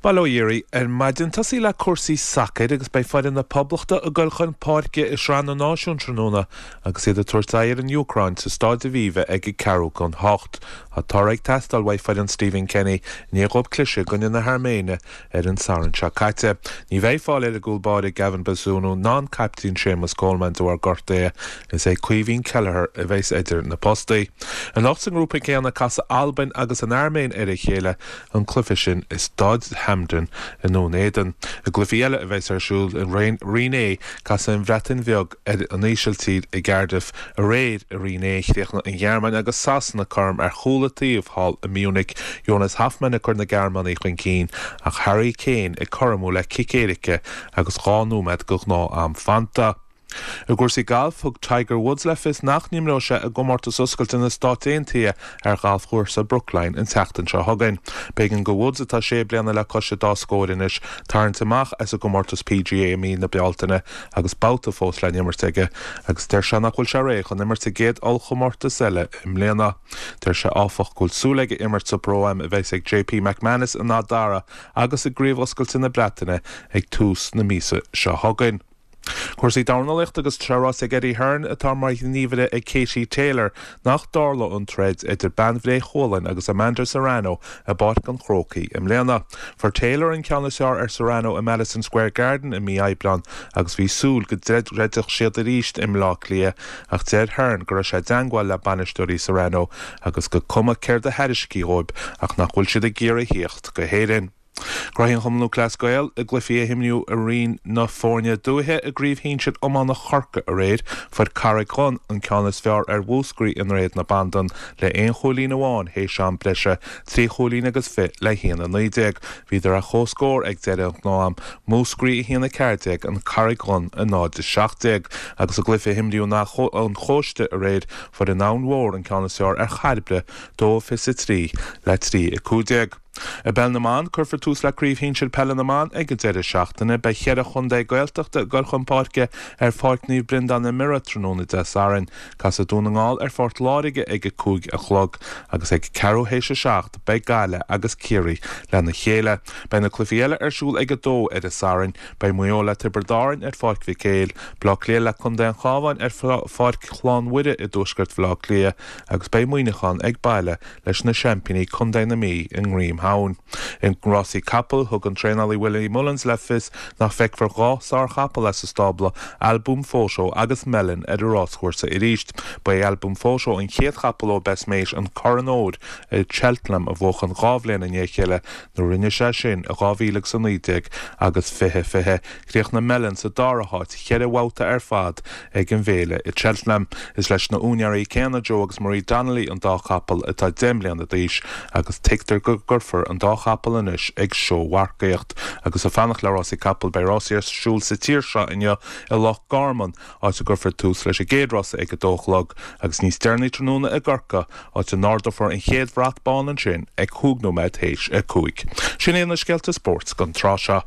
Bail ó Dhia oraibh ar maidin. Tosaí le cúrsaí sacair agus beidh foireann na Poblachta ag dul chun páirce i Sraith na Náisiún tráthnóna agus iad ag tabhairt aghaidh ar an Úcráin sa Stáid Aviva ag a ceathrú chun hocht. Tá toradh ag teastáil uaidh foireann Stephen Kenny i ndiaidh dhóibh cliseadh i gcoinne na hAirméine ar an Satharn seo caite. Ní bheidh fáil ar an gcúl báire Gavin Bazunu ná an caiptín Séamus Coleman de bharr gortaithe. Is é Caoimhín Kelleher a bheas idir na postaí. Anocht sa ngrúpa céanna casfaidh Albain agus an Airméin ar a chéile. an cluiche sin i Staid Hampden i nDún Éideann. I gcluichí eile a bheas ar siúl i Roinn A, casfaidh an Bhreatain Bheag ar an Ísiltír i gCardiff. Aréir i Roinn A, chríochnaigh an Ghearmáin agus Sasana cothrom ar chúl an taobh thall i Munich, Jonas Hofmann ag cur na Gearmánaigh chun cinn ach Harry Kane ag cothromú le cic éirice agus 2 nóiméad de ghnáth-am fanta. I gcúrsaí gailf, thug Tiger Woods le fios nach n-imreoidh sé i gcomórtas oscailte na Stát Aontaithe ar ghalfchúrsa Brookline an tseachtain seo chugainn. B'éigean do Woods, atá sé bliana le cois an dá scór anois, tarraingt amach as an gcomórtas PGA i mí na Bealtaine agus babhta fós le n-imirt aige agus deir sé nach bhfuil sé réidh chun imirt sa gcéad ollchomórtas eile i mbliana. Deir sé áfach go bhfuil súil aige imirt sa Pro-Am a bheas ag JP McManus in Áth Dara agus i gCraobh Oscailte na Breataine ag tús na míosa seo chugainn. Cúrsaí dornálaíochta agus tá sé ráite ag Eddie Hearn, atá mar ghníomhaire ag Katie Taylor, nach dtarlóidh an troid idir bean Bhré Chualann agus Amanda Serrano i bPáirc an Chrócaigh i mbliana. Fuair Taylor an ceann is fearr ar Serrano i Madison Square Garden i mí Aibreáin agus bhí súil go dtroidfeadh siad arís i mBleá Cliath ach deir Hearn go raibh sé i dteangmháil le bainisteoirí Serrano agus gur cuma céard a thairiscfí dhóibh ach nach bhfuil siad ag iarraidh thíocht go hÉirinn. Gnóthaí an Chumann Lúthchleas Gael i gcluichí a himríodh i Roinn na Foirne Dúiche i gCraobh Shinsir Iomána Chorcaí aréir, fuair Carraig Dhonn an ceann is fearr ar Mhúscraí i nDroichead na Bandan le aon chúilín amháin théis am breise, 3 chúilín agus fiche le 1-19. Bhíodar ar comhscór ag deireadh an ghnáth-am, Múscraí 1-14, An Charraig Dhonn 0-17. Agus i gcluiche a himríodh in Áth an Chóiste aréir, fuair an Abhainn Mhór an ceann is fearr ar Chairbre, 2-23 le 3-15. I bPeil na mBan, cuirfear tús le Craobh Shinsir Peile na mBan ag an deireadh seachtaine. Beidh cheithre chontae Gaeltachta ag dul chun páirce ar Pháirc Naomh Breandán i mBiorra tráthnóna Dé Sathairn. Casfaidh Dún na nGall ar Phort Láirge ag a 5 a chlog agus ag ceathrú théis a 7 beidh Gaillimh agus Ciarraí lena chéile. Beidh na cluichí eile ar siúl ag a 2 ar an Satharn. Beidh Maigh Eo le Tiobraid Árann ar Pháirc Mhic Éil, Bleá Cliath le Contae an Chabháin ar Pháirc Chlann Mhuire i dtuaisceart Bhaile Átha Cliath agus beidh Muineachán ag baile leis na seaimpíní Contae na Mí i nGreamshamhain. I rásaí capall, thug an traenálaí Willie Mullins le fios nach bhfeicfear 2 sárchapall as a stábla, Al Boum Photo agus Melon ar an ráschúrsa arís. Ba é Al Boum Photo an chéad chapall ó Best Mate an Corn Óir i Cheltenham a bhuachan 2 bhliain i ndiaidh a chéile nuair a rinne sé sin i 2019 agus 2020. Chríochnaigh Melon sa dara háit cheithre bhabhta ar fad ag an bhféile i Cheltenham. Is leis na úinéirí céanna, Joe agus Marie Donnelly, an dá chapall atá 10 mbliana d'aois agus tuigtear go gcuirfear an dá chapall anois ag seómharcaíocht. Agus ag fanacht le rásaí capall, beidh rásaí ar siúl sa tír seo inniu i Loch Garman, áit a gcuirfear tús leis an gcéad rása ag a dó a chlog, agus níos deireanaí tráthnóna i gCorcaigh, áit a n-ardófar an chéad bhrat bán ansin ag chúig nóiméad théis a 5. Sin iad na scéalta spóirt don tráth seo.